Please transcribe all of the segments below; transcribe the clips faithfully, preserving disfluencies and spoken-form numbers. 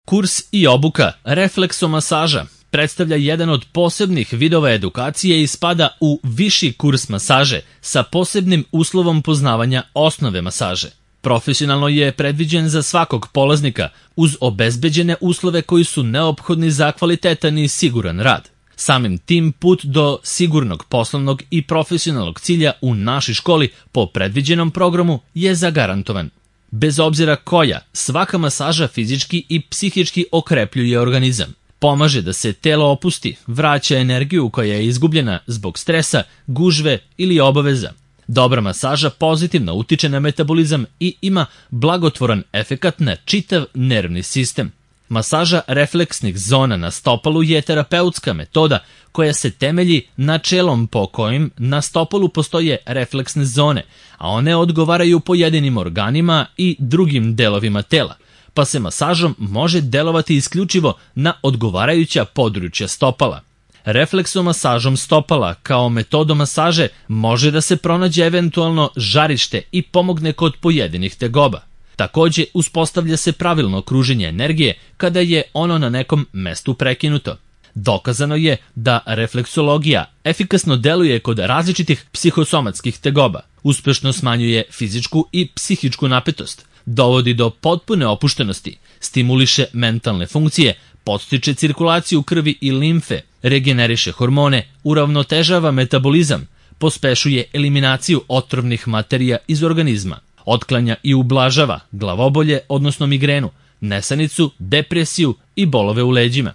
Kurs i obuka refleksomasaža predstavlja jedan od posebnih vidova edukacije i spada u viši kurs masaže sa posebnim uslovom poznavanja osnove masaže. Profesionalno je predviđen za svakog polaznika uz obezbeđene uslove koji su neophodni za kvalitetan i siguran rad. Samim tim put do sigurnog poslovnog i profesionalnog cilja u našoj školi po predviđenom programu je zagarantovan. Bez obzira koja, svaka masaža fizički i psihički okrepljuje organizam. Pomaže da se telo opusti, vraća energiju koja je izgubljena zbog stresa, gužve ili obaveza. Dobra masaža pozitivno utiče na metabolizam i ima blagotvoran efekat na čitav nervni sistem. Masaža refleksnih zona na stopalu je terapeutska metoda koja se temelji načelom po kojim na stopalu postoje refleksne zone, a one odgovaraju pojedinim organima i drugim delovima tela, pa se masažom može delovati isključivo na odgovarajuća područja stopala. Refleksomasažom stopala kao metodom masaže može da se pronađe eventualno žarište i pomogne kod pojedinih tegoba. Takođe, uspostavlja se pravilno kruženje energije kada je ono na nekom mestu prekinuto. Dokazano je da refleksologija efikasno deluje kod različitih psihosomatskih tegoba, uspešno smanjuje fizičku i psihičku napetost, dovodi do potpune opuštenosti, stimuliše mentalne funkcije, podstiče cirkulaciju krvi i limfe, regeneriše hormone, uravnotežava metabolizam, pospešuje eliminaciju otrovnih materija iz organizma, otklanja i ublažava glavobolje, odnosno migrenu, nesanicu, depresiju i bolove u leđima.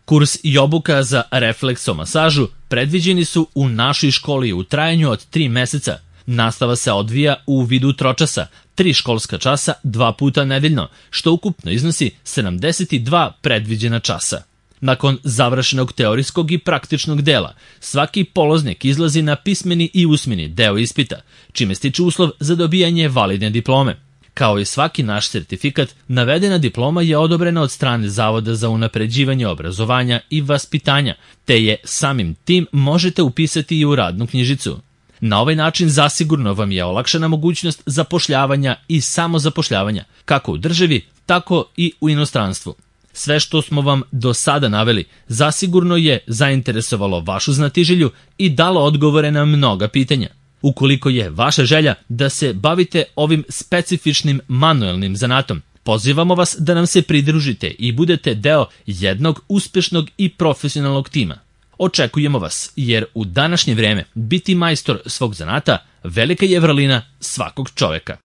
Kurs i obuka za refleksomasažu predviđeni su u našoj školi u trajanju od tri meseca. Nastava se odvija u vidu tročasa, tri školska časa, dva puta nedeljno, što ukupno iznosi sedamdeset dva predviđena časa. Nakon završenog teorijskog i praktičnog dela, svaki polaznik izlazi na pismeni i usmeni deo ispita, čime stiče uslov za dobijanje validne diplome. Kao i svaki naš sertifikat, navedena diploma je odobrena od strane Zavoda za unapređivanje obrazovanja i vaspitanja, te je samim tim možete upisati i u radnu knjižicu. Na ovaj način zasigurno vam je olakšana mogućnost zapošljavanja i samozapošljavanja, kako u državi, tako i u inostranstvu. Sve što smo vam do sada naveli zasigurno je zainteresovalo vašu znatiželju i dalo odgovore na mnoga pitanja. Ukoliko je vaša želja da se bavite ovim specifičnim manuelnim zanatom, pozivamo vas da nam se pridružite i budete deo jednog uspešnog i profesionalnog tima. Očekujemo vas, jer u današnje vreme biti majstor svog zanata velika je vrlina svakog čoveka.